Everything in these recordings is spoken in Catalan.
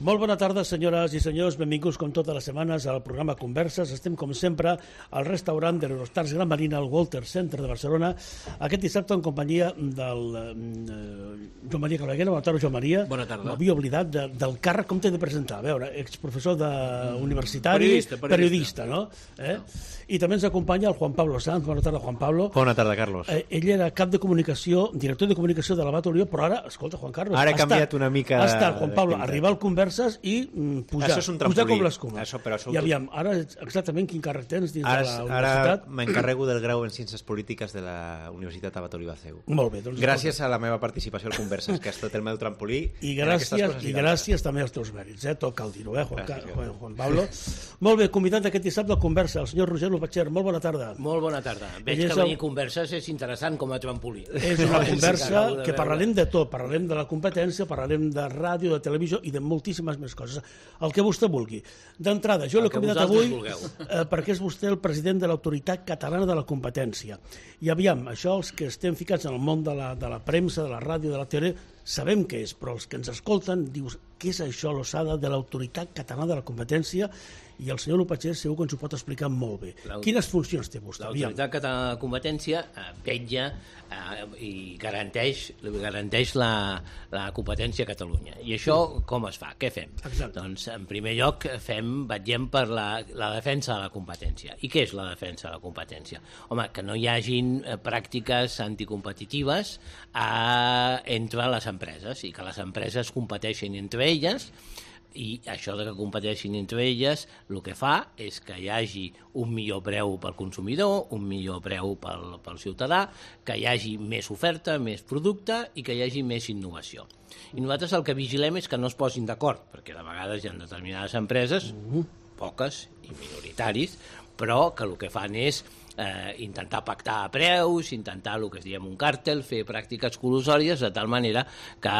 Molt bona tarda, senyores i senyors. Benvinguts, com totes les setmanes, al programa Converses. Estem, com sempre, al restaurant de l'Eurostars Gran Marina, al Walter Center de Barcelona, aquest dissabte en companyia del Joan Maria Claveguera. Bona tarda, Joan Maria. Bona tarda. M'havia oblidat del càrrec, com t'he de presentar? A veure, exprofessor universitari, periodista, no? I també ens acompanya el Juan Pablo Sanz. Bona tarda, Juan Pablo. Bona tarda, Carlos. Ell era cap de comunicació, director de comunicació de l'Abat Olió, però ara, escolta, Juan Carlos... Ara he canviat una mica... Ha estat, Juan Pablo, arribar al Converses i pujar com l'escuma. I aviam, ara exactament quin càrrec tens dins de la universitat? Ara m'encarrego del grau en Ciències Polítiques de la Universitat Abat Olió Aceu. Molt bé. Doncs, gràcies a la meva participació al Converses, que ha estat el meu trampolí. I gràcies també als teus mèrits, tot cal dir-ho, Juan Pablo. Molt bé, convidat d'aquest dissabte al Conversa, el senyor Roger Lopatxer. Molt bona tarda. Molt bona tarda. Veig que venir a Converses és interessant com a trampolí. És una conversa que parlarem de tot, parlarem de la competència, parlarem de ràdio, de televisió i de moltíssimes més coses. El que vostè vulgui. D'entrada, jo l'he convidat avui perquè és vostè el president de l'Autoritat Catalana de la Competència. I aviam, això els que estem ficats en el món de la premsa, de la ràdio, de la tele, sabem què és, però els que ens escolten dius, què és això, l'ossada de l'Autoritat Catalana de la Competència? I el senyor Lopatxer segur que ens ho pot explicar molt bé. Quines funcions té vostè? L'Autoritat Catalana de la Competència vetlla i garanteix la competència a Catalunya. I això com es fa? Què fem? Exacte. Doncs, en primer lloc, vetllem per la defensa de la competència. I què és la defensa de la competència? Home, que no hi hagin pràctiques anticompetitives entre les empreses i que les empreses competeixin entre elles. I això de que competeixin entre elles el que fa és que hi hagi un millor preu pel consumidor, un millor preu pel ciutadà, que hi hagi més oferta, més producte i que hi hagi més innovació. I nosaltres el que vigilem és que no es posin d'acord, perquè de vegades hi ha determinades empreses, poques i minoritaris, però que el que fan és intentar pactar a preus, intentar el que es diem un càrtel, fer pràctiques col·lusòries de tal manera que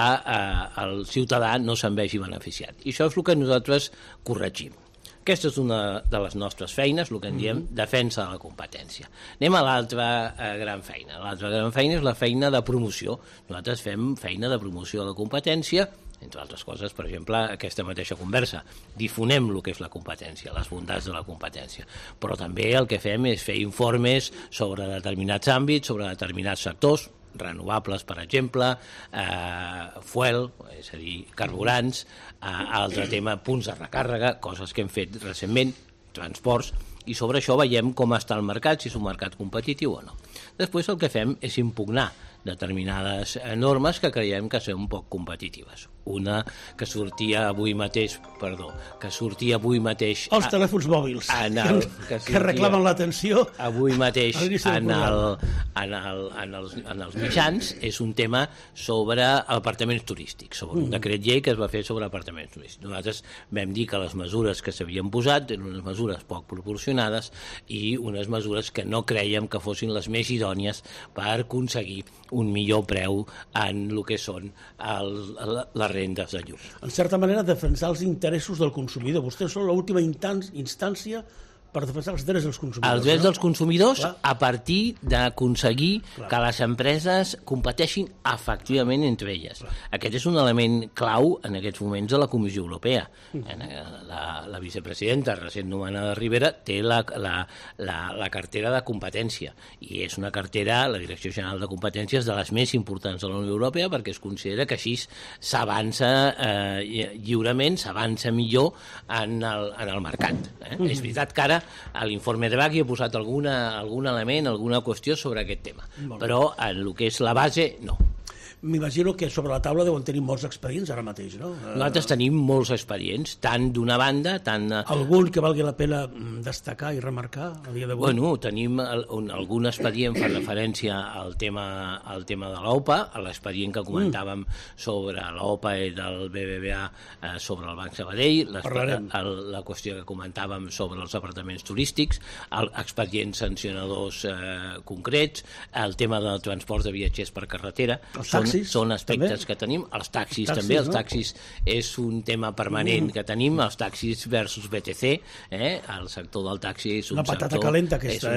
el ciutadà no se'n vegi beneficiat. I això és el que nosaltres corregim. Aquesta és una de les nostres feines, el que en diem defensa de la competència. Anem a l'altra gran feina. L'altra gran feina és la feina de promoció. Nosaltres fem feina de promoció de la competència, entre altres coses, per exemple, aquesta mateixa conversa. Difonem el que és la competència, les bondats de la competència. Però també el que fem és fer informes sobre determinats àmbits, sobre determinats sectors, renovables, per exemple, fuel, és a dir, carburants, altre tema, punts de recàrrega, coses que hem fet recentment, transports, i sobre això veiem com està el mercat, si és un mercat competitiu o no. Després el que fem és impugnar determinades normes que creiem que són un poc competitives. Una que sortia avui mateix... Els telèfons mòbils, que reclamen l'atenció. Avui mateix en els mitjans és un tema sobre apartaments turístics, sobre un decret llei que es va fer sobre apartaments turístics. Nosaltres vam dir que les mesures que s'havien posat eren unes mesures poc proporcionades i unes mesures que no creiem que fossin les més idònies per aconseguir un millor preu en el que són les rendes de llum. En certa manera, defensar els interessos del consumidor. Vostès són l'última instància per defensar els drets dels consumidors. Els drets dels consumidors a partir d'aconseguir que les empreses competeixin efectivament entre elles. Aquest és un element clau en aquests moments de la Comissió Europea. La vicepresidenta recent nomenada Rivera té la cartera de competència i és una cartera, la Direcció General de Competències, de les més importants de la Unió Europea perquè es considera que així s'avança lliurement, s'avança millor en el mercat. És veritat que ara a l'informe Draghi he posat algun element, alguna qüestió sobre aquest tema, però en el que és la base, no. M'imagino que sobre la taula deuen tenir molts expedients ara mateix, no? Nosaltres tenim molts expedients, tant d'una banda, tant... Algun que valgui la pena destacar i remarcar a dia d'avui? Bueno, tenim algun expedient per referència al tema de l'OPA, l'expedient que comentàvem sobre l'OPA del BBVA sobre el Banc Sabadell, la qüestió que comentàvem sobre els apartaments turístics, expedients sancionadors concrets, el tema del transport de viatgers per carretera... Els són aspectes que tenim. Els taxis també, els taxis és un tema permanent que tenim, els taxis versus BTC, el sector del taxi és un sector... Una patata calenta aquesta,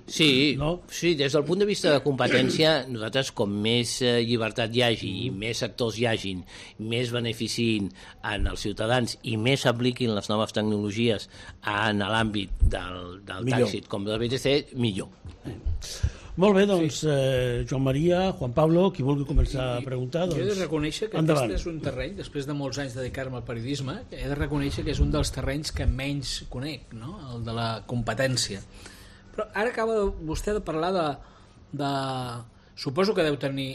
Sí, sí, des del punt de vista de competència, nosaltres com més llibertat hi hagi i més sectors hi hagin, més beneficiïn en els ciutadans i més apliquin les noves tecnologies en l'àmbit del taxi com del BTC, millor. Molt bé, doncs, Joan Maria, Juan Pablo, qui vulgui començar a preguntar, doncs... Jo he de reconèixer que aquest és un terreny, després de molts anys de dedicar-me al periodisme, he de reconèixer que és un dels terrenys que menys conec, no? El de la competència. Però ara acaba vostè de parlar de... Suposo que deu tenir...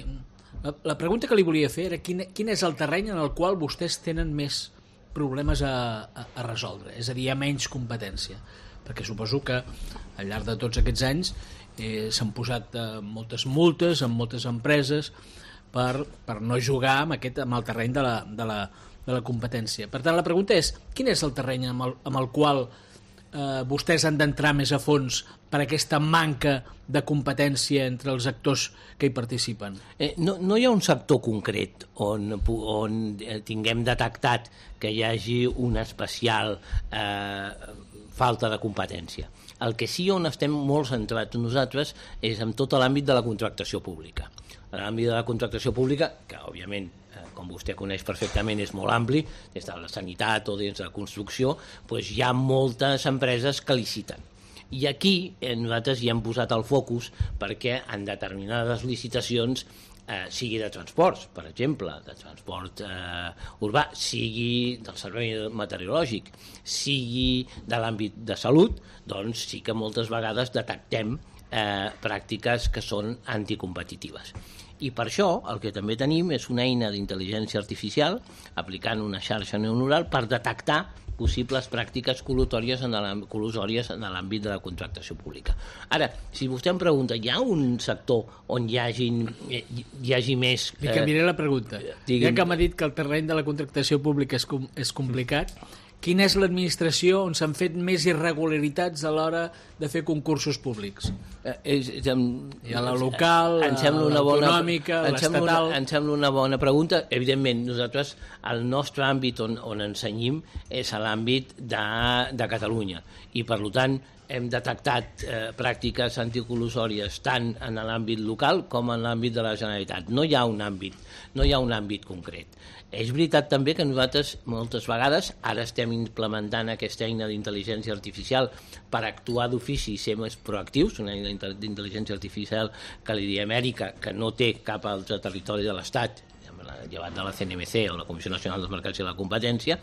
La pregunta que li volia fer era quin és el terreny en el qual vostès tenen més problemes a resoldre, és a dir, hi ha menys competència, perquè suposo que al llarg de tots aquests anys s'han posat moltes multes en moltes empreses per no jugar amb el terreny de la competència. Per tant, la pregunta és, quin és el terreny amb el qual vostès han d'entrar més a fons per aquesta manca de competència entre els actors que hi participen? No hi ha un sector concret on tinguem detectat que hi hagi una especial falta de competència. El que sí on estem molt centrats nosaltres és en tot l'àmbit de la contractació pública. L'àmbit de la contractació pública, que òbviament com vostè coneix perfectament, és molt ampli, des de la sanitat o des de la construcció, doncs hi ha moltes empreses que liciten. I aquí nosaltres hi hem posat el focus perquè en determinades licitacions sigui de transports, per exemple, de transport urbà, sigui del servei meteorològic, sigui de l'àmbit de salut, doncs sí que moltes vegades detectem pràctiques que són anticompetitives. I per això el que també tenim és una eina d'intel·ligència artificial aplicant una xarxa neuronal per detectar possibles pràctiques colusòries en l'àmbit de la contractació pública. Ara, si vostè em pregunta, hi ha un sector on hi hagi més... Li canviaré la pregunta. Ja que m'ha dit que el terreny de la contractació pública és complicat, quina és l'administració on s'han fet més irregularitats a l'hora de fer concursos públics? Hi ha la local, l'autonòmica, l'estatal... Em sembla una bona pregunta. Evidentment, nosaltres, el nostre àmbit on ensenyim és l'àmbit de Catalunya i, per tant, hem detectat pràctiques anticolusòries tant en l'àmbit local com en l'àmbit de la Generalitat. No hi ha un àmbit concret. És veritat també que nosaltres moltes vegades ara estem implementant aquesta eina d'intel·ligència artificial per actuar d'ofici i ser més proactius, una eina d'intel·ligència artificial que li diem ERICA, que no té cap altre territori de l'Estat, llevat de la CNMC o la Comissió Nacional dels Mercats i la Competència,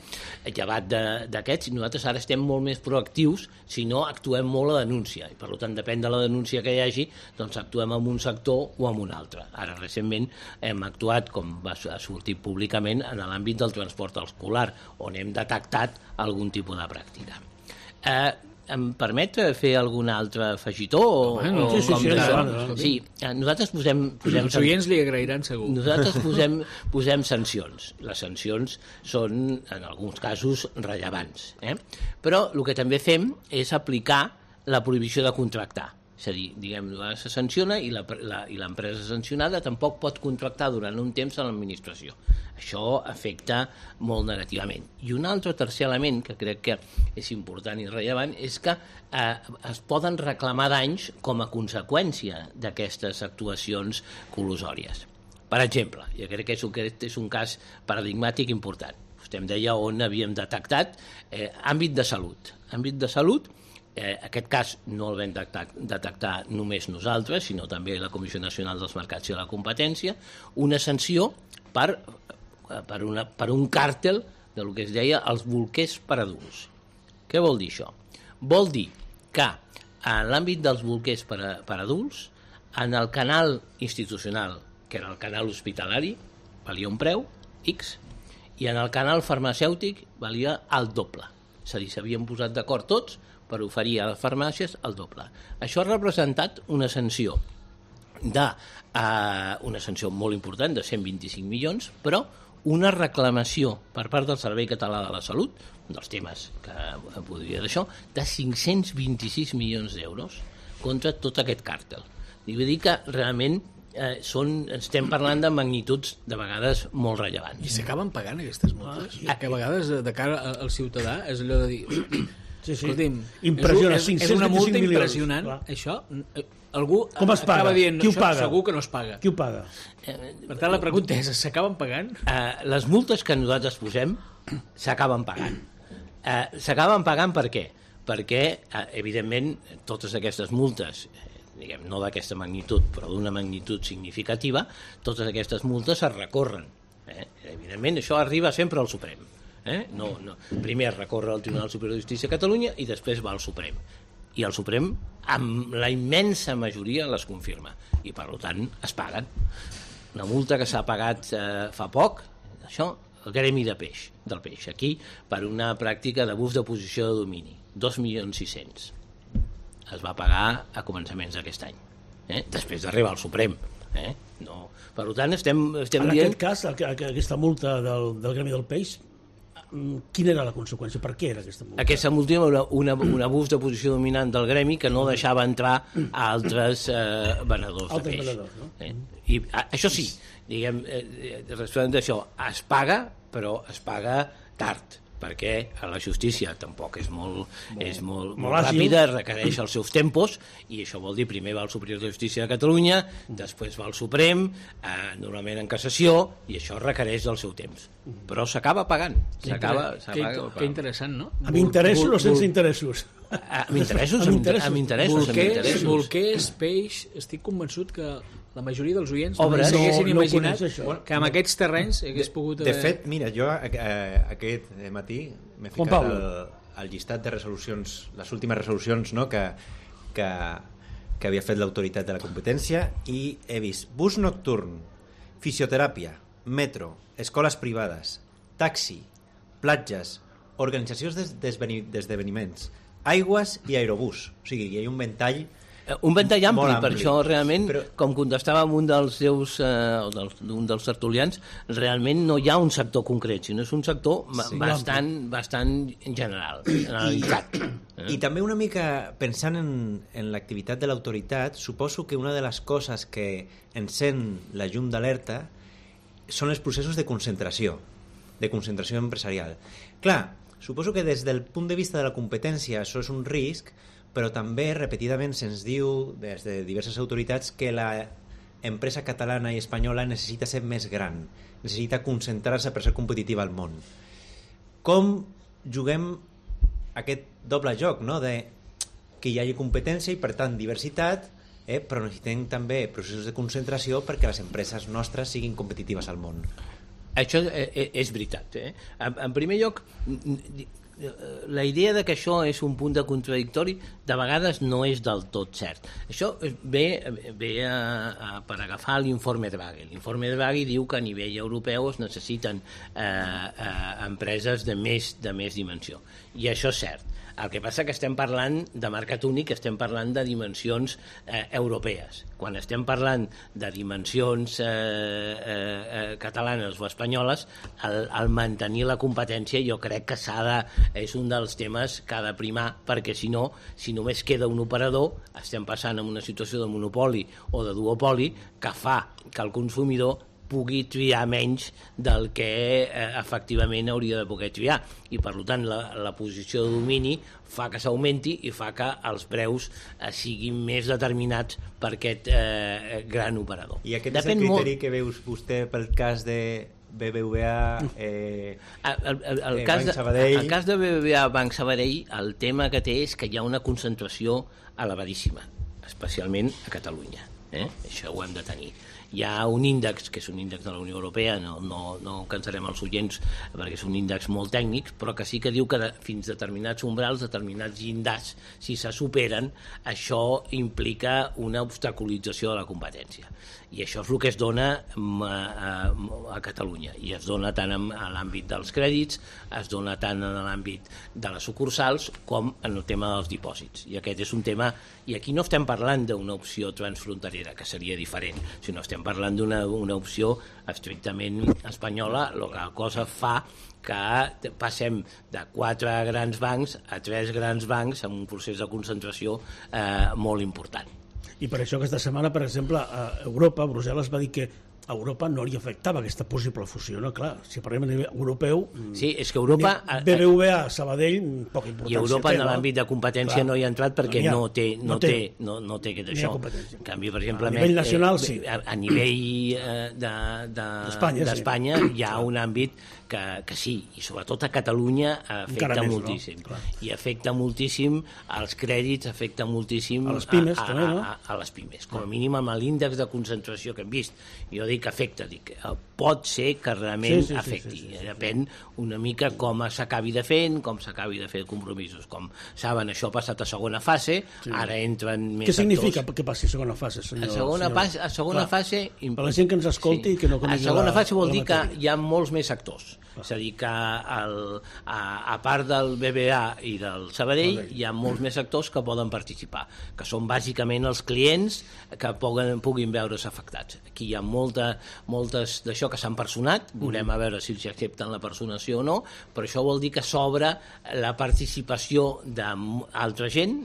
llevat d'aquests, nosaltres ara estem molt més proactius, si no actuem molt a denúncia, i per tant depèn de la denúncia que hi hagi, doncs actuem en un sector o en un altre. Ara recentment hem actuat, com va sortir públicament, en l'àmbit del transport escolar, on hem detectat algun tipus de pràctica. Em permet fer algun altre afegitó? Sí, nosaltres posem els oients li agrairan segur. Nosaltres posem sancions. Les sancions són, en alguns casos, rellevants. Però el que també fem és aplicar la prohibició de contractar. És a dir, diguem, se sanciona i l'empresa sancionada tampoc pot contractar durant un temps a l'administració. Això afecta molt negativament. I un altre tercer element que crec que és important i rellevant és que es poden reclamar danys com a conseqüència d'aquestes actuacions colusòries. Per exemple, jo crec que aquest és un cas paradigmàtic important. Vostè em deia on havíem detectat àmbit de salut. Àmbit de salut, aquest cas no el vam detectar només nosaltres, sinó també la Comissió Nacional dels Mercats i la Competència, una sanció per un càrtel del que es deia els bolquers per adults. Què vol dir això? Vol dir que en l'àmbit dels bolquers per adults, en el canal institucional, que era el canal hospitalari, valia un preu, X, i en el canal farmacèutic valia el doble. És a dir, s'havien posat d'acord tots per oferir a les farmàcies el doble. Això ha representat una sanció molt important, de 125 milions, però una reclamació per part del Servei Català de la Salut, un dels temes que podria d'això, de 526 milions d'euros contra tot aquest càrtel. Vull dir que realment estem parlant de magnituds de vegades molt rellevants. I s'acaben pagant aquestes multes? Que a vegades de cara al ciutadà és allò de dir... Sí. Escolti'm, és una multa milions, impressionant, clar. això... Algú com es paga? acaba dient, Qui ho paga? Segur que no es paga. Qui ho paga? Per tant, la pregunta és, s'acaben pagant? Les multes que nosaltres posem s'acaben pagant. S'acaben pagant per què? Perquè, evidentment, totes aquestes multes, diguem, no d'aquesta magnitud, però d'una magnitud significativa, totes aquestes multes es recorren. Evidentment, això arriba sempre al Suprem. No. Primer es recorre al Tribunal Superior de Justícia de Catalunya i després va al Suprem. I el Suprem, amb la immensa majoria, les confirma. I, per tant, es paguen. Una multa que s'ha pagat fa poc, això, el gremi del peix, aquí, per una pràctica d'abús de posició de domini. 2.600.000. Es va pagar a començaments d'aquest any. Després d'arribar al Suprem. No. Per tant, estem dient... En aquest cas, aquesta multa del gremi del peix, quina era la conseqüència? Per què era aquesta multa? Aquesta multa era un abús de posició dominant del gremi que no deixava entrar a altres venedors de peix. No? I això sí, diguem, respecte d'això, es paga, però es paga tard, perquè a la justícia tampoc és molt ràpida, requereix els seus tempos, i això vol dir primer va al Superior de Justícia de Catalunya, després va al Suprem, normalment en cassació, i això requereix el seu temps. Però s'acaba pagant. Que interessant, no? Amb interessos o sense interessos? Amb interessos. Bolquers, peix, estic convençut que la majoria dels oients s'haguessin imaginat que amb aquests terrenys hagués pogut... De fet, mira, jo aquest matí m'he ficat al llistat de resolucions, les últimes resolucions, no, que havia fet l'autoritat de la competència, i he vist bus nocturn, fisioteràpia, metro, escoles privades, taxi, platges, organitzacions d'esdeveniments, aigües i aerobús. O sigui, hi ha un ventall ampli, per això realment, com contestava amb un dels seus d'un dels tertulians, realment no hi ha un sector concret, sinó és un sector bastant generalitzat. I també una mica pensant en l'activitat de l'autoritat, suposo que una de les coses que encén la llum d'alerta són els processos de concentració empresarial. Clar, suposo que des del punt de vista de la competència això és un risc, però també repetidament se'ns diu des de diverses autoritats que la empresa catalana i espanyola necessita ser més gran, necessita concentrar-se per ser competitiva al món. Com juguem aquest doble joc, no? De que hi hagi competència i per tant diversitat, però necessitem també processos de concentració perquè les empreses nostres siguin competitives al món. Això és veritat. En primer lloc, la idea de que això és un punt de contradictori de vegades no és del tot cert. Això ve per agafar l'informe Draghi. L'informe Draghi diu que a nivell europeu es necessiten empreses de més dimensió, i això és cert. El que passa que estem parlant de mercat únic, estem parlant de dimensions europees. Quan estem parlant de dimensions catalanes o espanyoles, el mantenir la competència jo crec que és un dels temes que ha de primar, perquè si no, si només queda un operador, estem passant en una situació de monopoli o de duopoli que fa que el consumidor pugui triar menys del que efectivament hauria de poder triar, i per tant la posició de domini fa que s'augmenti i fa que els preus siguin més determinats per aquest gran operador. I aquest és el criteri que veus vostè pel cas de BBVA, Banc Sabadell? El cas de BBVA Banc Sabadell, el tema que té és que hi ha una concentració elevadíssima, especialment a Catalunya. Això ho hem de tenir. Hi ha un índex, que és un índex de la Unió Europea, no cansarem els oients perquè és un índex molt tècnic, però que sí que diu que fins determinats umbrals, determinats llindars, si se superen, això implica una obstaculització de la competència. I això és el que es dona a Catalunya, i es dona tant a l'àmbit dels crèdits, es dona tant en l'àmbit de les sucursals com en el tema dels dipòsits. I aquest és un tema, i aquí no estem parlant d'una opció transfronterera, que seria diferent, sinó estem parlant d'una opció estrictament espanyola, la cosa fa que passem de 4 grans bancs a 3 grans bancs amb un procés de concentració molt important. I per això aquesta setmana, per exemple, a Europa, Brussel·les va dir que a Europa no li afectava aquesta possible fusió, no? Clar, si parlem a nivell europeu... Sí, és que Europa... BBVA, Sabadell, poca importància. I Europa en l'àmbit de competència no hi ha entrat perquè no té aquest això. En canvi, per exemple... A nivell nacional, sí. A nivell d'Espanya hi ha un àmbit que sí, i sobretot a Catalunya afecta moltíssim. No? I afecta moltíssim als crèdits, afecta moltíssim a les pimes, també, no? A les pimes. Com a mínim amb l'índex de concentració que hem vist. Jo dic afecta, pot ser que realment afecti. Depèn una mica com s'acabi de fer, com s'acabi de fer compromisos. Com saben, això ha passat a segona fase, ara entren més actors. Què significa que passi a segona fase, senyor? A segona fase... Per la gent que ens escolti i que no conegui a segona fase vol dir que hi ha molts més actors. És a dir, que a part del BBVA i del Sabadell hi ha molts més actors que poden participar, que són bàsicament els clients que puguin veure's afectats. Aquí hi ha moltes d'això que s'han personat, veurem a veure si accepten la personació o no, però això vol dir que s'obre la participació d'altra gent,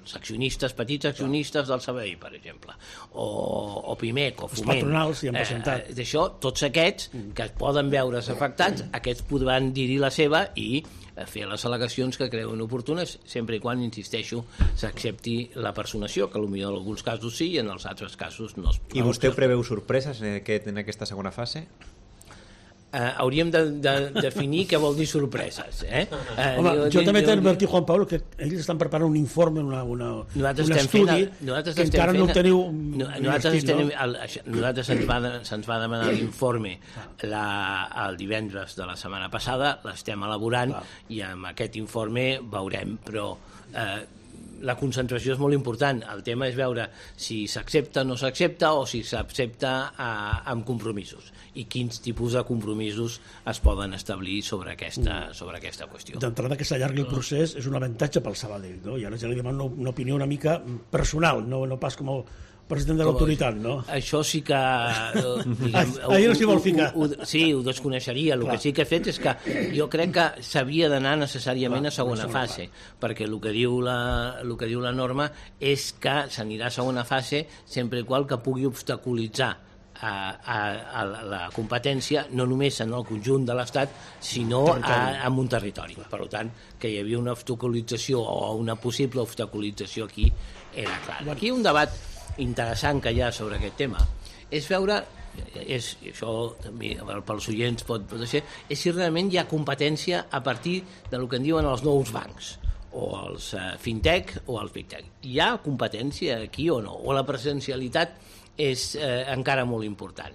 accionistes, petits accionistes del Sabadell, per exemple, o Pimec, o Foment. Els patronals hi han presentat. D'això, tots aquests que poden veure's afectats, aquests podran dir-hi la seva i fer les al·legacions que creuen oportunes, sempre i quan, insisteixo, s'accepti la personació, que potser en alguns casos sí i en els altres casos no. I vostè preveu sorpreses en aquesta segona fase? Hauríem de definir què vol dir sorpreses. Home, jo també t'he advertit, Juan Pablo, que ells estan preparant un informe, un estudi, que encara no teniu... Nosaltres se'ns va demanar l'informe el divendres de la setmana passada, l'estem elaborant i amb aquest informe veurem, però... la concentració és molt important. El tema és veure si s'accepta o no s'accepta o si s'accepta amb compromisos i quins tipus de compromisos es poden establir sobre aquesta qüestió. D'entrada que s'allargui el procés és un avantatge pel Sabadell, no? I ara ja li demano una opinió una mica personal, no pas com el president de l'autoritat, no? Això sí que... Ahir no s'hi vol ficar. Sí, ho desconeixeria. El que sí que he fet és que jo crec que s'havia d'anar necessàriament a segona fase, perquè el que diu la norma és que s'anirà a segona fase sempre que pugui obstaculitzar a la competència no només en el conjunt de l'Estat sinó en un territori. Per tant, que hi havia una obstaculització o una possible obstaculització aquí era clar. Aquí un debat interessant que hi ha sobre aquest tema és veure, això també pels oients pot ser, és si realment hi ha competència a partir del que en diuen els nous bancs o els fintech o els big tech. Hi ha competència aquí o no? O la presencialitat és encara molt important?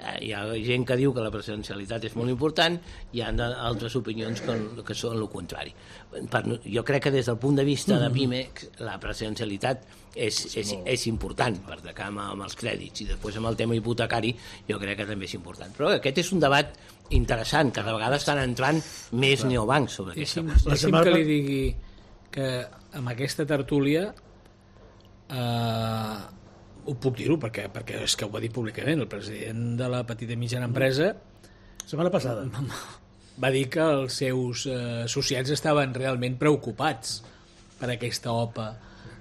Hi ha gent que diu que la presencialitat és molt important, hi ha altres opinions que són el contrari. Jo crec que des del punt de vista de PIMEC la presencialitat és important per atacar amb els crèdits i després amb el tema hipotecari jo crec que també és important. Però aquest és un debat interessant, que de vegades estan entrant més neobancs sobre aquesta qüestió. Deixi'm que li digui que amb aquesta tertúlia ho puc dir-ho perquè és que ho va dir públicament el president de la petita i mitjana empresa setmana passada va dir que els seus associats estaven realment preocupats per aquesta OPA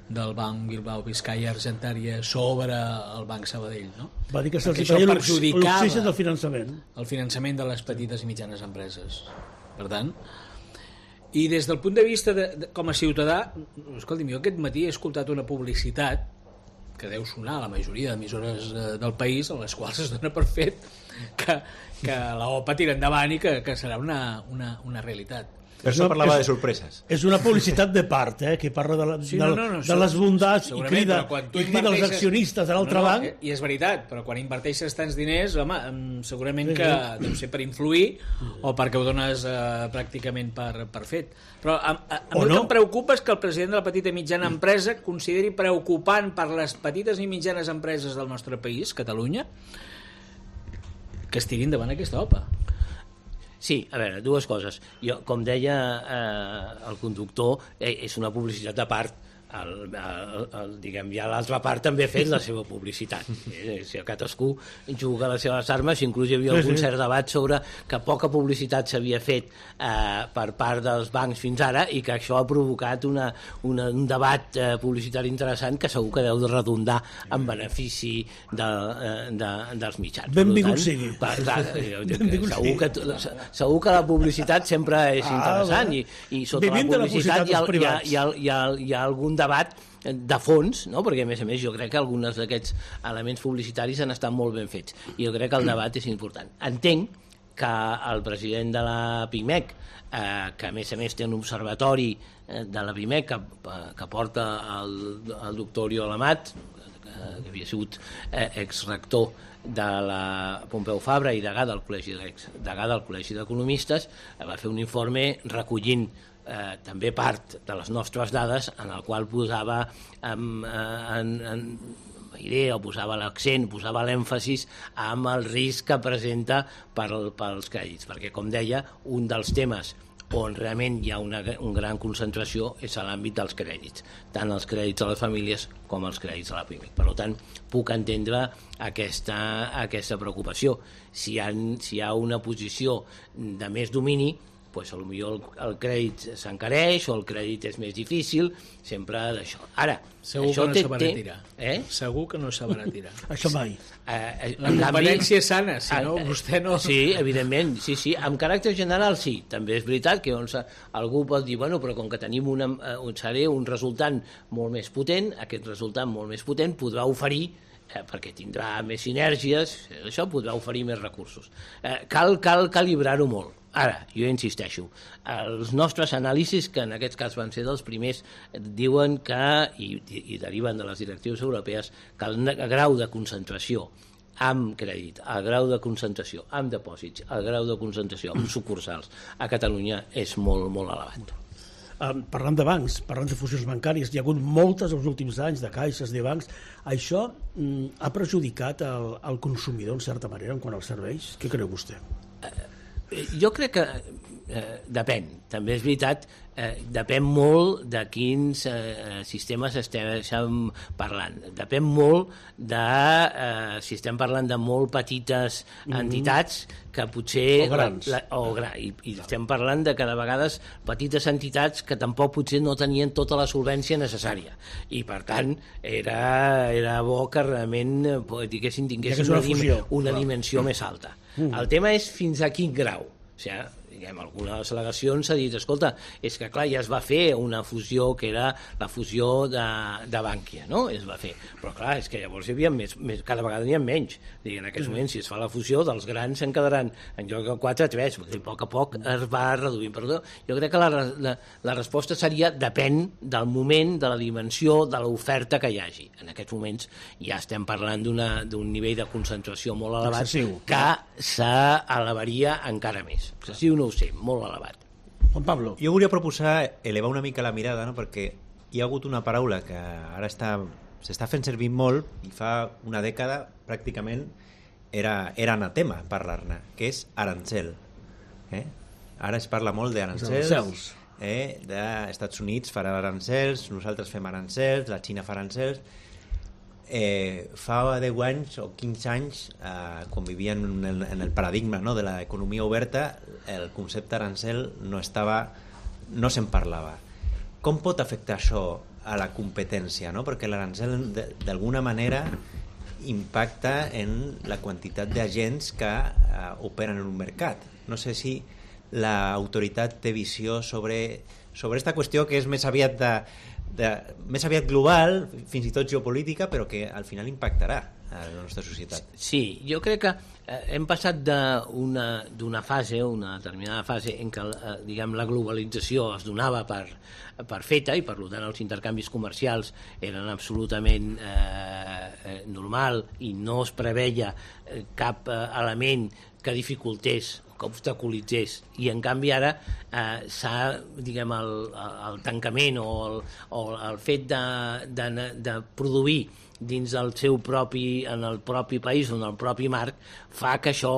del Banc Bilbao Vizcaya Argentària sobre el Banc Sabadell, no? Va dir que se'ls feia l'oxigen del finançament. El finançament de les petites i mitjanes empreses. Per tant, i des del punt de vista com a ciutadà, escolti'm, jo aquest matí he escoltat una publicitat que deu sonar a la majoria d'emissores del país, en les quals es dona per fet que la OPA tira endavant i que serà una realitat. Per això parlava de sorpreses. És una publicitat de part, que parla de les bondats i crida els accionistes de l'altre banc. I és veritat, però quan inverteixes tants diners, home, segurament que deu ser per influir o perquè ho dones pràcticament per fet. Però a mi el que em preocupa és que el president de la petita i mitjana empresa consideri preocupant per les petites i mitjanes empreses del nostre país, Catalunya, que es tiri endavant aquesta OPA. Sí, a veure, dues coses. Jo, com deia el conductor, és una publicitat a part diguem, ja l'altra part també ha fet la seva publicitat. Si cadascú juga les seves armes, inclús hi havia algun cert debat sobre que poca publicitat s'havia fet per part dels bancs fins ara i que això ha provocat un debat publicitari interessant que segur que deu de redundar en benefici dels mitjans. Benvingut sigui. Segur que la publicitat sempre és interessant i sota la publicitat hi ha algun debat de fons, no? Perquè a més jo crec que alguns d'aquests elements publicitaris han estat molt ben fets i jo crec que el debat és important. Entenc que el president de la PIMEC, que a més té un observatori de la PIMEC que porta el doctor Oriol Amat, que havia sigut exrector de la Pompeu Fabra i degà del Col·legi d'Economistes, va fer un informe recollint també part de les nostres dades en el qual posava posava l'accent, posava l'èmfasis amb el risc que presenta pels crèdits, perquè com deia, un dels temes on realment hi ha una gran concentració és a l'àmbit dels crèdits, tant els crèdits a les famílies com els crèdits a la PIMEC. Per tant, puc entendre aquesta preocupació. Si hi ha una posició de més domini, doncs potser el crèdit s'encareix o el crèdit és més difícil, sempre d'això. Ara, segur que no sabrà tirar. Segur que no sabrà tirar. Això mai. La competència és sana, si no, vostè no... Sí, evidentment, sí. Amb caràcter general, sí. També és veritat que algú pot dir, bueno, però com que tenim un resultant molt més potent, aquest resultant molt més potent podrà oferir perquè tindrà més sinergies, això podrà oferir més recursos. Cal calibrar-ho molt. Ara, jo insisteixo, els nostres anàlisis, que en aquest cas van ser dels primers, diuen que, i deriven de les directives europees, que el grau de concentració amb crèdit, el grau de concentració amb dipòsits, el grau de concentració amb sucursals a Catalunya és molt, molt elevat. Parlant de bancs, parlant de fusions bancàries, hi ha hagut moltes els últims anys de caixes, de bancs. Això ha perjudicat el consumidor en certa manera en quant als serveis? Què creu vostè? Jo crec que depèn. També és veritat, depèn molt de quins sistemes estem parlant. Depèn molt de si estem parlant de molt petites entitats que potser... O grans. I estem parlant de que de vegades petites entitats que tampoc potser no tenien tota la solvència necessària. I per tant era bo que realment tinguessin una dimensió més alta. El tema és fins a quin grau. O sigui, algunes al·legacions s'ha dit, escolta, és que clar, ja es va fer una fusió que era la fusió de Bankia, no? Es va fer, però clar, és que llavors hi havia cada vegada n'hi ha menys. En aquests moments, si es fa la fusió, dels grans se'n quedaran en lloc de 4-3, a poc a poc es va reduint. Però jo crec que la resposta seria depèn del moment, de la dimensió, de l'oferta que hi hagi. En aquests moments ja estem parlant d'un nivell de concentració molt elevat excessiu, que s'elevaria encara més. Excessiu no ho sé, molt elevat. Juan Pablo. Jo volia proposar elevar una mica la mirada, no? Perquè hi ha hagut una paraula que ara s'està fent servir molt i fa una dècada pràcticament era anatema parlar-ne, que és arancel. Ara es parla molt d'arancels, d'Estats Units farà arancels, nosaltres fem arancels, la Xina fa arancels. Fa 10 anys o 15 anys, quan vivien en el paradigma, no, de l'economia oberta, el concepte arancel no se'n parlava. Com pot afectar això a la competència, no? Perquè l'arancel d'alguna manera impacta en la quantitat d'agents que operen en un mercat. No sé si l'autoritat té visió sobre aquesta qüestió que és més aviat més aviat global, fins i tot geopolítica, però que al final impactarà a la nostra societat. Sí, jo crec que hem passat d'una fase, una determinada fase, en què la globalització es donava per feta i per tant els intercanvis comercials eren absolutament normal i no es preveia cap element que dificultés que obstaculitzés. I en canvi ara s'ha, diguem, el tancament o el fet de produir dins del seu propi, en el propi país o en el propi marc, fa que això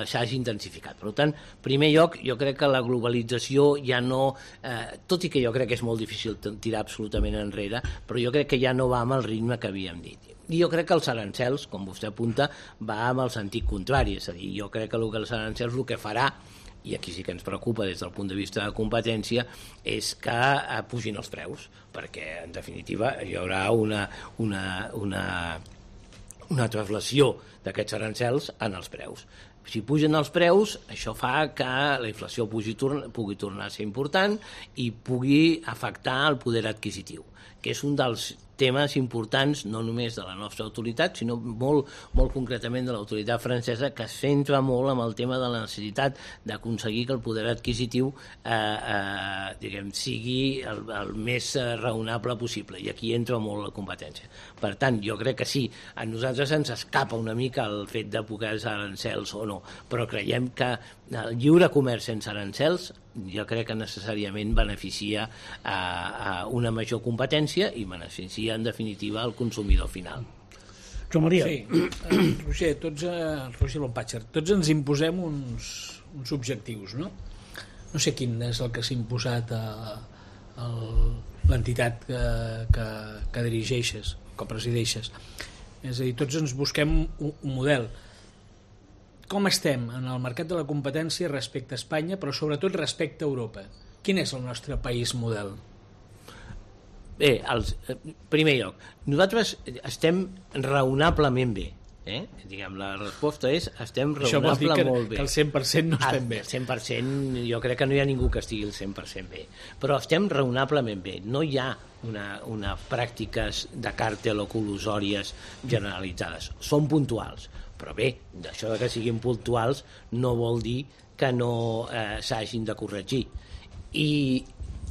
s'hagi intensificat. Per tant, en primer lloc, jo crec que la globalització ja no... tot i que jo crec que és molt difícil tirar absolutament enrere, però jo crec que ja no va amb el ritme que havíem dit. I jo crec que els arancels, com vostè apunta, va amb el sentit contrari. És a dir, jo crec que els arancels el que farà, i aquí sí que ens preocupa des del punt de vista de competència, és que pugin els preus, perquè en definitiva hi haurà una translació d'aquests arancels en els preus. Si pugen els preus, això fa que la inflació pugui tornar a ser important i pugui afectar el poder adquisitiu, que és un dels temes importants no només de la nostra autoritat, sinó molt concretament de l'autoritat francesa, que es centra molt en el tema de la necessitat d'aconseguir que el poder adquisitiu sigui el més raonable possible, i aquí entra molt la competència. Per tant, jo crec que sí, a nosaltres ens escapa una mica el fet de poder arancels o no, però creiem que el lliure comerç sense arancels jo crec que necessàriament beneficia a una major competència i beneficia en definitiva el consumidor final. Joan Maria. Sí, Roger, Roger Lompatxer, tots ens imposem uns objectius, no? No sé quin és el que s'ha imposat a l'entitat que dirigeixes, que presideixes. És a dir, tots ens busquem un model. Com estem en el mercat de la competència respecte a Espanya, però sobretot respecte a Europa? Quin és el nostre país model? Bé, primer lloc, nosaltres estem raonablement bé. Diguem, la resposta és estem raonable molt bé. Que el 100% no estem bé. El 100% jo crec que no hi ha ningú que estigui el 100% bé, però estem raonablement bé. No hi ha una pràctiques de càrtel o colusòries generalitzades. Són puntuals, però bé, això que siguin puntuals no vol dir que no s'hagin de corregir. I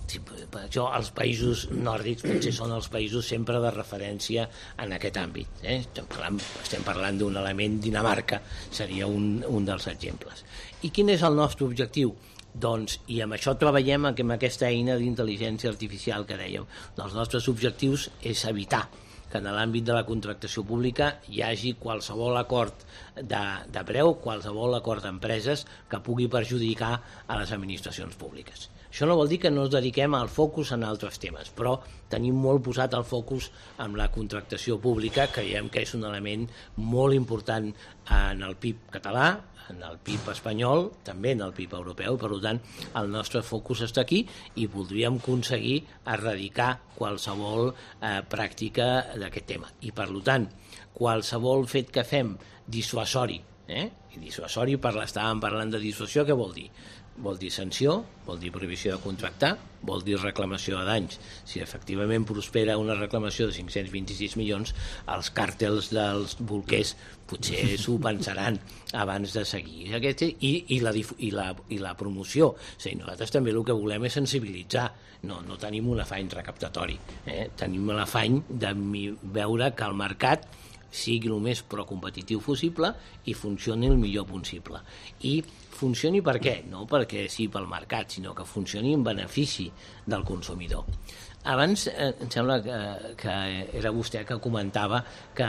per això els països nòrdics potser són els països sempre de referència en aquest àmbit. Estem parlant d'un element, Dinamarca seria un dels exemples. I quin és el nostre objectiu? Doncs, i amb això treballem amb aquesta eina d'intel·ligència artificial que dèiem. Els nostres objectius és evitar que en l'àmbit de la contractació pública hi hagi qualsevol acord de preu, qualsevol acord d'empreses que pugui perjudicar a les administracions públiques. Això no vol dir que no ens dediquem al focus en altres temes, però tenim molt posat el focus en la contractació pública, creiem que és un element molt important en el PIB català, en el PIB espanyol, també en el PIB europeu, per tant, el nostre focus està aquí i voldríem aconseguir erradicar qualsevol pràctica d'aquest tema. I, per tant, qualsevol fet que fem dissuasori, i dissuasori, estàvem parlant de dissuasió, què vol dir? Vol dir sanció, vol dir prohibició de contractar, vol dir reclamació de danys. Si efectivament prospera una reclamació de 526 milions, els càrtels dels bolquers potser s'ho pensaran abans de seguir. I la promoció. Nosaltres també el que volem és sensibilitzar. No tenim un afany recaptatori. Tenim l'afany de veure que el mercat sigui el més procompetitiu possible i funcioni el millor possible. I funcioni per què? No perquè sí pel mercat, sinó que funcioni en benefici del consumidor. Abans em sembla que era vostè que comentava que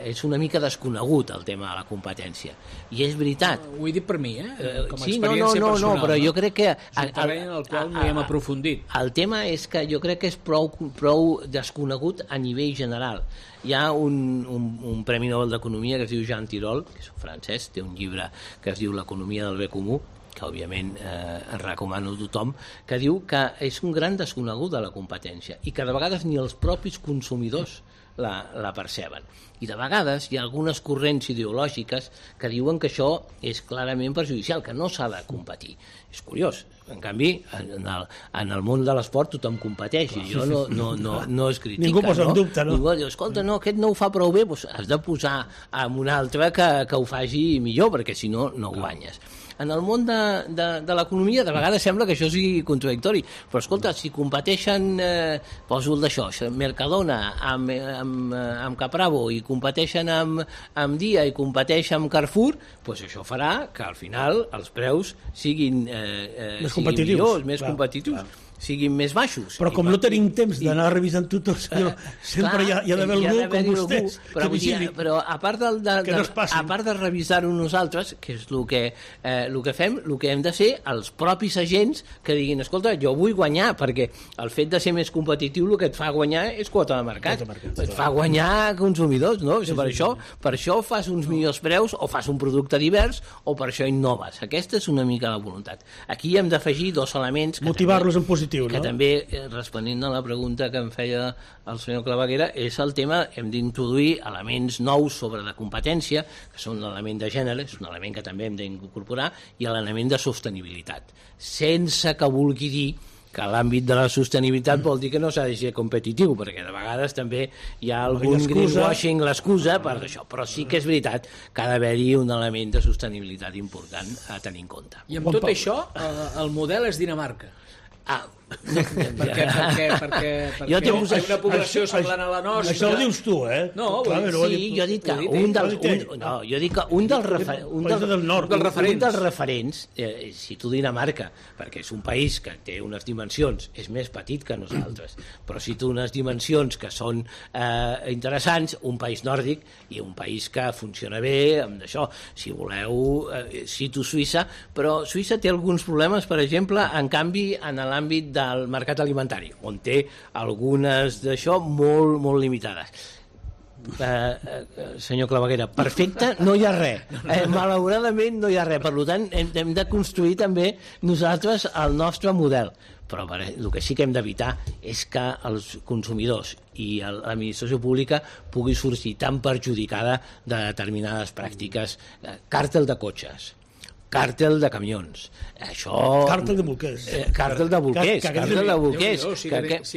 és una mica desconegut el tema de la competència. I és veritat. Ho he dit per mi, com a sí, experiència personal. però jo crec que... És un terreny en el qual no hi hem aprofundit. El tema és que jo crec que és prou desconegut a nivell general. Hi ha un Premi Nobel d'Economia que es diu Jean Tirole, que és un francès, té un llibre que es diu L'economia del bé comú, que òbviament recomano a tothom, que diu que és un gran desconegut de la competència i que de vegades ni els propis consumidors la perceben. I de vegades hi ha algunes corrents ideològiques que diuen que això és clarament perjudicial, que no s'ha de competir. És curiós. En canvi, en el món de l'esport tothom competeix i jo no es critica. Ningú posa en dubte, no? Ningú diu, escolta, no, aquest no ho fa prou bé, doncs has de posar en un altre que ho faci millor, perquè si no, no guanyes. en el món de l'economia de vegades sembla que això sigui contradictori, però escolta, si competeixen poso el d'això, Mercadona amb Capravo i competeixen amb Dia i competeixen amb Carrefour, doncs això farà que al final els preus siguin millors, més competitius, siguin més baixos. Però com no tenim temps d'anar revisant tot, sempre hi ha d'haver algú com vostès que vigili. Però a part de revisar-ho nosaltres, que és el que fem, el que hem de ser els propis agents que diguin, escolta, jo vull guanyar, perquè el fet de ser més competitiu el que et fa guanyar és quota de mercat. Et fa guanyar consumidors, no? Per això fas uns millors preus o fas un producte divers o per això innoves. Aquesta és una mica la voluntat. Aquí hem d'afegir dos elements motivar-los en positiu, que també, responent a la pregunta que em feia el senyor Claveguera, és el tema, hem d'introduir elements nous sobre la competència, que són l'element de gènere, és un element que també hem d'incorporar, i l'element de sostenibilitat, sense que vulgui dir que l'àmbit de la sostenibilitat vol dir que no s'ha de ser competitiu, perquè de vegades també hi ha algun greenwashing, l'excusa per això, però sí que és veritat que ha d'haver-hi un element de sostenibilitat important a tenir en compte. I amb tot això, el model és Dinamarca. Perquè hi ha una població semblant a la nostra. Això ho dius tu, No, sí, jo he dit que un dels referents, cito Dinamarca, perquè és un país que té unes dimensions, és més petit que nosaltres, però cito unes dimensions que són interessants, un país nòrdic i un país que funciona bé, amb això, si voleu, cito Suïssa, però Suïssa té alguns problemes, per exemple, en canvi, en l'àmbit del mercat alimentari, on té algunes d'això molt, molt limitades. Senyor Claveguera, perfecte, no hi ha res. Malauradament no hi ha res. Per tant, hem de construir també nosaltres el nostre model. Però el que sí que hem d'evitar és que els consumidors i l'administració pública pugui sortir tan perjudicada de determinades pràctiques. Càrtel de cotxes, càrtel de camions, això... Càrtel de bolquers. Càrtel de bolquers. Sí,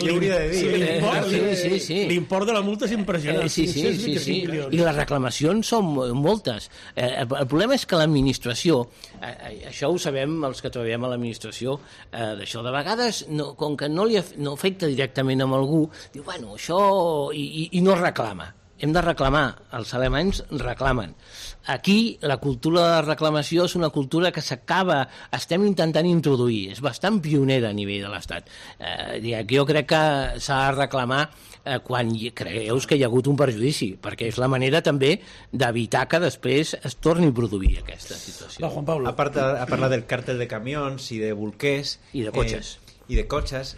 hauria de dir. Sí. L'import de la multa és impressionant. Sí. I les reclamacions són moltes. El problema és que l'administració, això ho sabem els que treballem a l'administració, d'això de vegades, com que no afecta directament amb algú, diu, bueno, això... i no reclama. Hem de reclamar, els alemanys reclamen. Aquí la cultura de reclamació és una cultura que estem intentant introduir, és bastant pionera a nivell de l'Estat. Jo crec que s'ha de reclamar quan creus que hi ha hagut un perjudici, perquè és la manera també d'evitar que després es torni a produir aquesta situació. Va, Juan Pablo. A parlar del càrtel de camions i de bolquers... I de cotxes.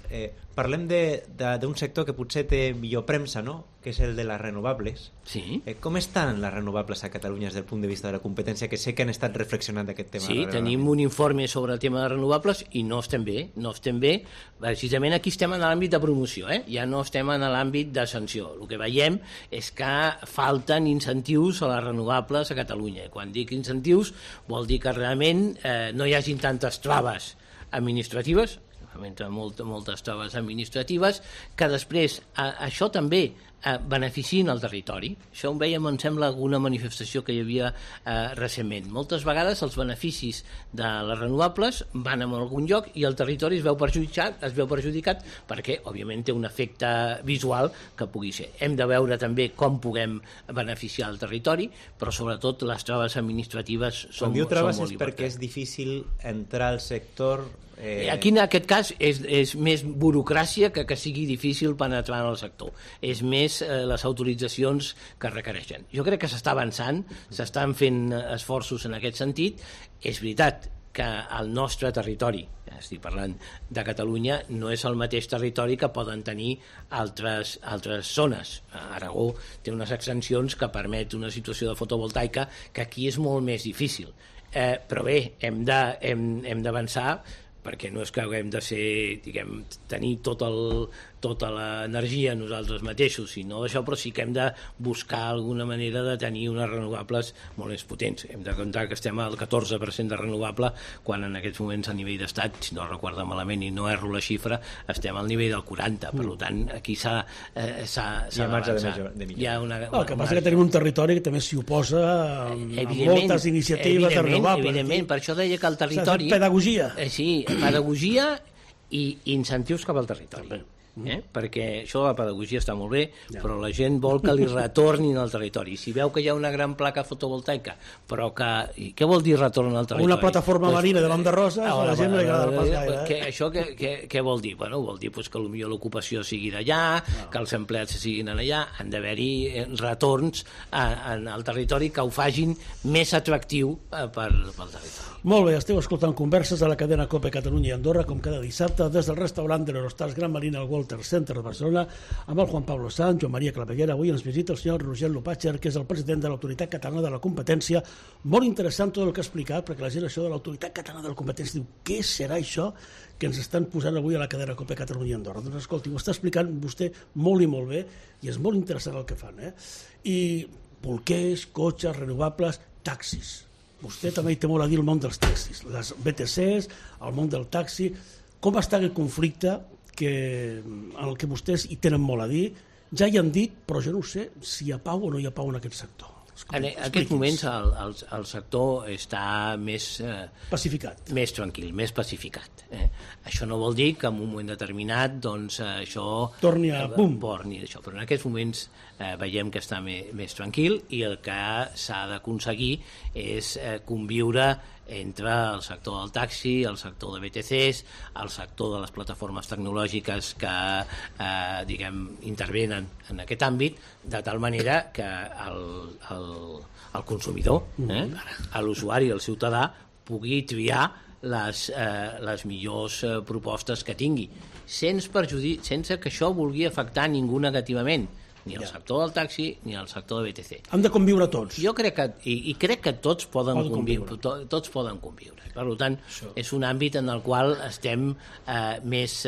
Parlem d'un sector que potser té millor premsa, no?, que és el de les renovables. Sí. Com estan les renovables a Catalunya des del punt de vista de la competència, que sé que han estat reflexionant d'aquest tema? Sí, tenim un informe sobre el tema de renovables i no estem bé. Precisament aquí estem en l'àmbit de promoció, ja no estem en l'àmbit de sanció. El que veiem és que falten incentius a les renovables a Catalunya. Quan dic incentius vol dir que realment no hi hagin tantes traves administratives, moltes traves administratives, que després això també beneficien el territori. Això ho veiem, em sembla, alguna manifestació que hi havia recentment. Moltes vegades els beneficis de les renovables van a algun lloc i el territori es veu perjudicat perquè, òbviament, té un efecte visual que pugui ser. Hem de veure també com puguem beneficiar el territori, però sobretot les traves administratives són molt importants. Quan diu traves és perquè és difícil entrar al sector... Aquí, en aquest cas, és més burocràcia que sigui difícil penetrar en el sector. És més les autoritzacions que requereixen. Jo crec que s'està avançant, s'estan fent esforços en aquest sentit. És veritat que el nostre territori, estic parlant de Catalunya, no és el mateix territori que poden tenir altres zones. Aragó té unes extensions que permet una situació de fotovoltaica que aquí és molt més difícil. Però bé, hem d'avançar perquè no és que haguem de ser, diguem, tenir tota l'energia nosaltres mateixos, sinó això, però sí que hem de buscar alguna manera de tenir unes renovables molt més potents. Hem de comptar que estem al 14% de renovable, quan en aquests moments a nivell d'estat, si no recordo malament i no erro la xifra, estem al nivell del 40%. Per tant, aquí s'ha d'avançar. Hi ha el que passa que tenim un territori que també s'hi oposa amb moltes iniciatives renovables. Evidentment, per això deia que el territori... Pedagogia. Sí, pedagogia i incentius cap al territori. Perquè això de la pedagogia està molt bé, però la gent vol que li retornin al territori. Si veu que hi ha una gran placa fotovoltaica, però que... I què vol dir retorn al territori? Una plataforma marina davant de Roses, a la gent no li agrada pas gaire. Això què vol dir? Bueno, vol dir que potser l'ocupació sigui d'allà, que els empleats siguin allà, han d'haver-hi retorns al territori que ho fagin més atractiu pel territori. Molt bé, esteu escoltant converses a la cadena COPE Catalunya i Andorra, com cada dissabte, des del restaurant de l'Eurostars Gran Marina al Walter Center de Barcelona, amb el Juan Pablo Sanz, Joan Maria Claveguera. Avui ens visita el senyor Roger Lopatger, que és el president de l'Autoritat Catalana de la Competència. Molt interessant tot el que ha explicat, perquè la gent això de l'Autoritat Catalana de la Competència diu, què serà això que ens estan posant avui a la cadena COPE Catalunya i Andorra? Doncs escolti, ho està explicant vostè molt i molt bé, i és molt interessant el que fan. I bolquers, cotxes, renovables, taxis. Vostè també hi té molt a dir el món dels taxis, les BTCs, el món del taxi. Com està aquest conflicte en el que vostès hi tenen molt a dir? Ja hi han dit, però jo no sé si hi ha pau o no hi ha pau en aquest sector. En aquests moments el sector està més pacificat, més tranquil, més pacificat. Això no vol dir que en un moment determinat doncs, això torni a pum. Però en aquests moments veiem que està més tranquil, i el que s'ha d'aconseguir és conviure entre el sector del taxi, el sector de BTCs, el sector de les plataformes tecnològiques que intervenen en aquest àmbit, de tal manera que el consumidor, l'usuari, el ciutadà, pugui triar les millors propostes que tingui, sense que això vulgui afectar ningú negativament, ni el sector del taxi ni el sector de BTC. Han de conviure tots. Jo crec que tots poden conviure. Tots poden conviure. Per tant, és un àmbit en el qual estem més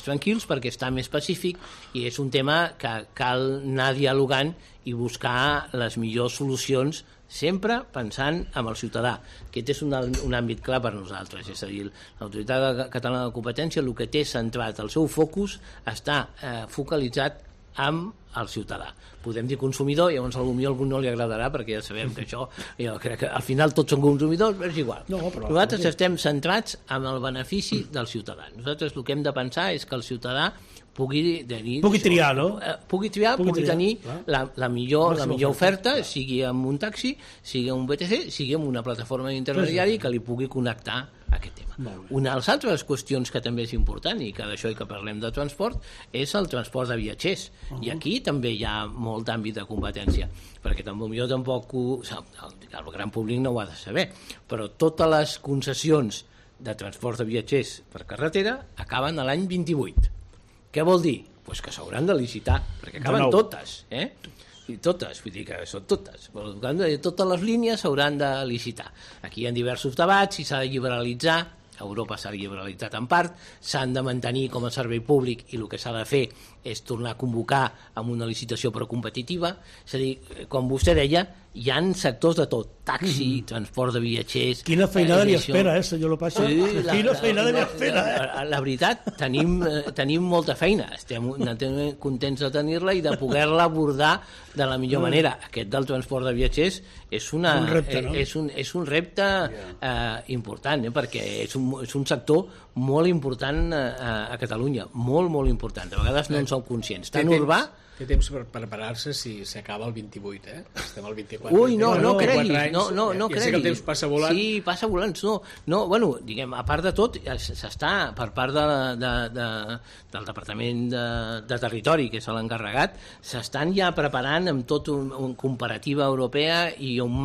tranquils, perquè està més pacífic, i és un tema que cal anar dialogant i buscar les millors solucions, sempre pensant en el ciutadà. Aquest és un àmbit clar per nosaltres, és a dir, l'Autoritat Catalana de la Competència el que té centrat el seu focus està focalitzat amb el ciutadà. Podem dir consumidor, llavors potser a algú no li agradarà, perquè ja sabem que això, jo crec que al final tots són consumidors, però és igual. Nosaltres estem centrats en el benefici del ciutadà. Nosaltres el que hem de pensar és que el ciutadà pugui triar, no? Pugui tenir la millor oferta, sigui amb un taxi, sigui amb un BTC, sigui amb una plataforma d'intermediari que li pugui connectar a aquest tema. Una de les altres qüestions que també és important, i que d'això i que parlem de transport, és el transport de viatgers. I aquí també hi ha molt àmbit de competència, perquè jo tampoc el gran públic no ho ha de saber, però totes les concessions de transport de viatgers per carretera acaben a l'any 28. Què vol dir? Pues que s'hauran de licitar, perquè acaben totes, i totes, vull dir que són totes. Totes les línies s'hauran de licitar. Aquí hi ha diversos debats, si s'ha de liberalitzar, a Europa s'ha liberalitzat en part, s'han de mantenir com a servei públic, i el que s'ha de fer és tornar a convocar amb una licitació però competitiva. És a dir, com vostè deia, hi ha sectors de tot, taxi, transport de viatgers... Quina feinada li espera, senyor Lopatger? Quina feinada li espera, La veritat, tenim molta feina, estem contents de tenir-la i de poder-la abordar de la millor manera. Aquest del transport de viatgers és un repte important, perquè és un sector molt important a Catalunya, molt, molt important. A vegades no en som conscients. Tan urbà... Té temps per preparar-se si s'acaba el 28, Estem al 24. Ui, no creguis. No creguis. Ja sé que el temps passa volant. Sí, passa volant. Diguem, a part de tot, s'està, per part del Departament de Territori, que és l'encarregat, s'estan ja preparant amb tot una comparativa europea i un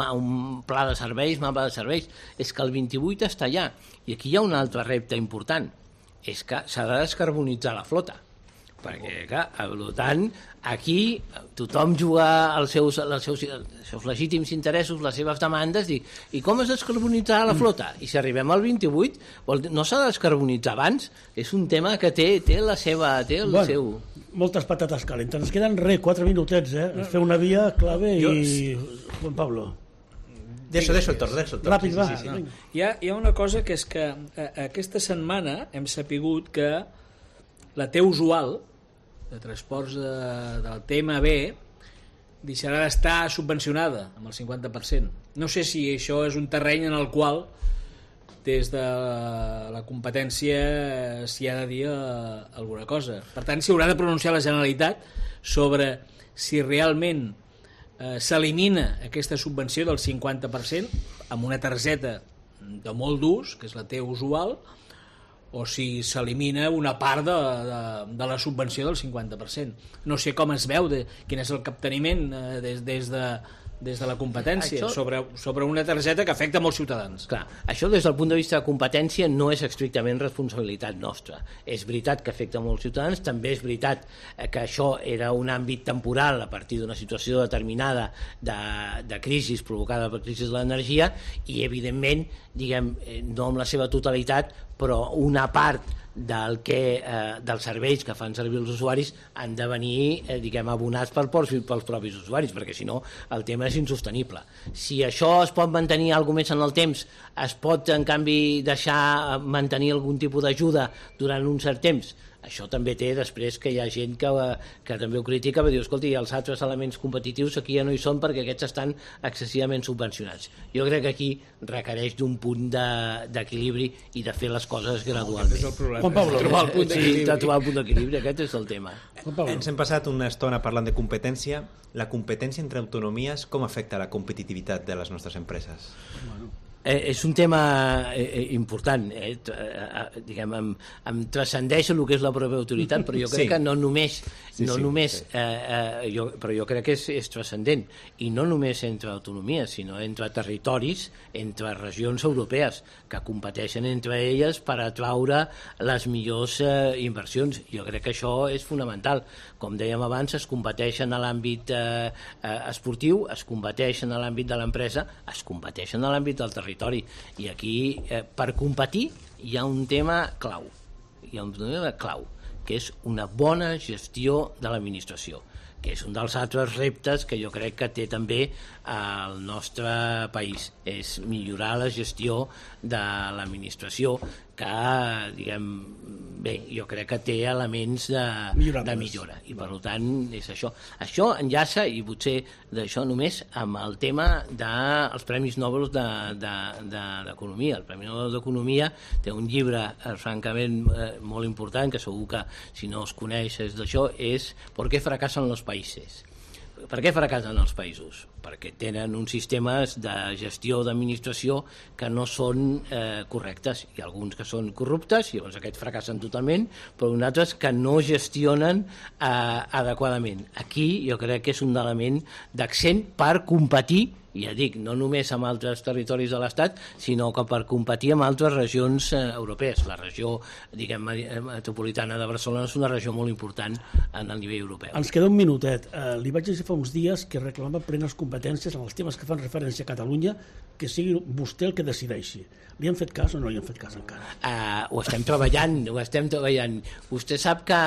pla de serveis, mapa de serveis. És que el 28 està allà. I aquí hi ha un altre repte important. És que s'ha de descarbonitzar la flota. perquè, clar, per tant, aquí tothom juga els seus legítims interessos, les seves demandes, i com es descarbonitzarà la flota? I si arribem al 28, no s'ha de descarbonitzar abans? És un tema que té el seu... Moltes patates calentes. Ens queden 4 minutets, Ens fer una via clave i... Juan Pablo. Deixo el torn. Ràpid, va. Sí. Hi ha una cosa que és que aquesta setmana hem sapigut que la T usual de transports del TMB deixarà d'estar subvencionada amb el 50%. No sé si això és un terreny en el qual des de la competència s'hi ha de dir alguna cosa. Per tant, s'hi haurà de pronunciar la Generalitat sobre si realment s'elimina aquesta subvenció del 50% amb una targeta de molt d'ús, que és la T usual, o si s'elimina una part de la subvenció del 50%. No sé com es veu, quin és el capteniment des de la competència sobre una targeta que afecta molts ciutadans. Clar, això des del punt de vista de competència no és estrictament responsabilitat nostra. És veritat que afecta molts ciutadans, també és veritat que això era un àmbit temporal a partir d'una situació determinada de crisi provocada per crisi de l'energia i, evidentment, no amb la seva totalitat, però una part dels serveis que fan servir els usuaris han de venir abonats pels propis usuaris, perquè si no el tema és insostenible. Si això es pot mantenir alguna més en el temps, es pot en canvi deixar mantenir algun tipus d'ajuda durant un cert temps, això també té després que hi ha gent que també ho critica, perquè diu, escolti, els altres elements competitius aquí ja no hi són perquè aquests estan excessivament subvencionats. Jo crec que aquí requereix d'un punt d'equilibri i de fer les coses gradualment. Aquest és el problema. Juan Pablo, trobar el punt d'equilibri, aquest és el tema. Ens hem passat una estona parlant de competència. La competència entre autonomies com afecta la competitivitat de les nostres empreses? És un tema important, em transcendeix el que és la pròpia autoritat, però jo crec que no només, però jo crec que és transcendent, i no només entre autonomies, sinó entre territoris, entre regions europees, que competeixen entre elles per atraure les millors inversions. Jo crec que això és fonamental. Com dèiem abans, es competeixen a l'àmbit esportiu, es competeixen a l'àmbit de l'empresa, es competeixen a l'àmbit del territori. I aquí, per competir, hi ha un tema clau, que és una bona gestió de l'administració, que és un dels altres reptes que jo crec que té també el nostre país, és millorar la gestió de l'administració, que, jo crec que té elements de millora, i per tant és això. Això enllaça, i potser d'això només, amb el tema dels Premis Nobel d'Economia. El Premi Nobel d'Economia té un llibre francament molt important, que segur que si no es coneix d'això, és ¿Por qué fracasan los países? Per què fracassen els països? Perquè tenen uns sistemes de gestió d'administració que no són correctes. Hi ha alguns que són corruptes, i llavors aquests fracassen totalment, però uns altres que no gestionen adequadament. Aquí jo crec que és un element d'accent per competir, i ja dic, no només amb altres territoris de l'Estat, sinó que per competir amb altres regions europees. La regió, metropolitana de Barcelona és una regió molt important en el nivell europeu. Ens queda un minutet. Li vaig dir fa uns dies que reclama plenes competències en els temes que fan referència a Catalunya, que sigui vostè el que decideixi. Li han fet cas o no li han fet cas encara? Ho estem treballant. Vostè sap que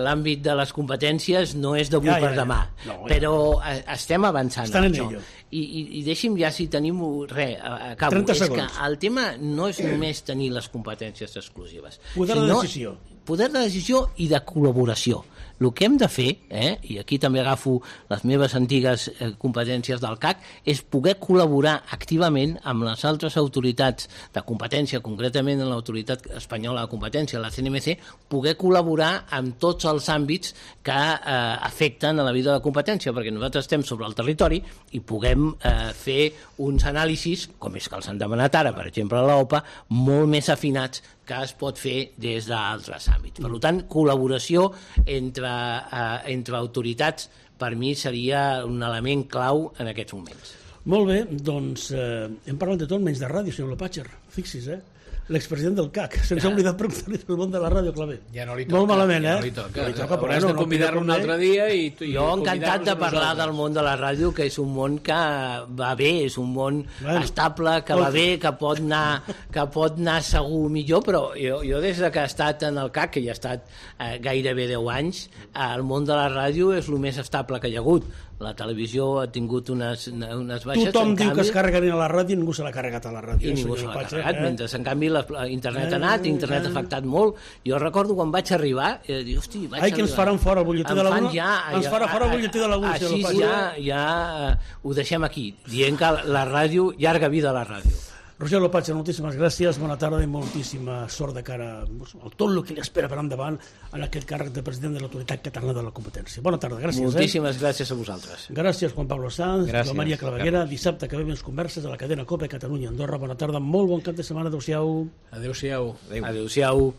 l'àmbit de les competències no és d'avui per demà, però estem avançant en això. I deixi'm ja, si tenim acabo, és que el tema no és només tenir les competències exclusives, poder de decisió i de col·laboració. El que hem de fer, i aquí també agafo les meves antigues competències del CAC, és poder col·laborar activament amb les altres autoritats de competència, concretament en l'autoritat espanyola de competència, la CNMC, poder col·laborar amb tots els àmbits que afecten a la vida de la competència, perquè nosaltres estem sobre el territori i puguem fer uns anàlisis, com és que els han demanat ara, per exemple, a l'OPA, molt més afinats que es pot fer des d'altres àmbits. Per tant, col·laboració entre autoritats per mi seria un element clau en aquests moments. Molt bé, doncs hem parlat de tot menys de ràdio, senyor Lopatger. Fixi's, l'expresident del CAC. Se'ns ha oblidat preguntar-li pel món de la ràdio, Clavé. Ja no li toca. Molt malament, ja no li toca. Però has de convidar-lo un altre dia i jo encantat de parlar del món de la ràdio, que és un món que va bé, és un món estable, que va bé, que pot anar segur millor, però jo des que he estat en el CAC, que ja he estat gairebé 10 anys, el món de la ràdio és el més estable que hi ha hagut. La televisió ha tingut unes baixes. Tothom diu que es carreguen a la ràdio i ningú se l'ha carregat a la ràdio. I ningú se l'ha carregat, mentre en canvi internet ha anat, internet ha afectat molt. Jo recordo quan vaig arribar, dic, hosti, vaig arribar. Ai, que ens faran fora el butlletí de la 1? Ens farà fora el butlletí de la 1. Així ja ho deixem aquí, dient que la ràdio, llarga vida a la ràdio. Roger Lopatge, moltíssimes gràcies, bona tarda i moltíssima sort de cara a tot el que li espera per endavant en aquest càrrec de president de l'Autoritat Catalana de la Competència. Bona tarda, gràcies. Moltíssimes gràcies a vosaltres. Gràcies, Juan Pablo Sanz, Joan Maria Claveguera. Dissabte que ve més converses a la cadena COPE Catalunya Andorra. Bona tarda, molt bon cap de setmana. Adéu-siau. Adéu-siau. Adéu-siau.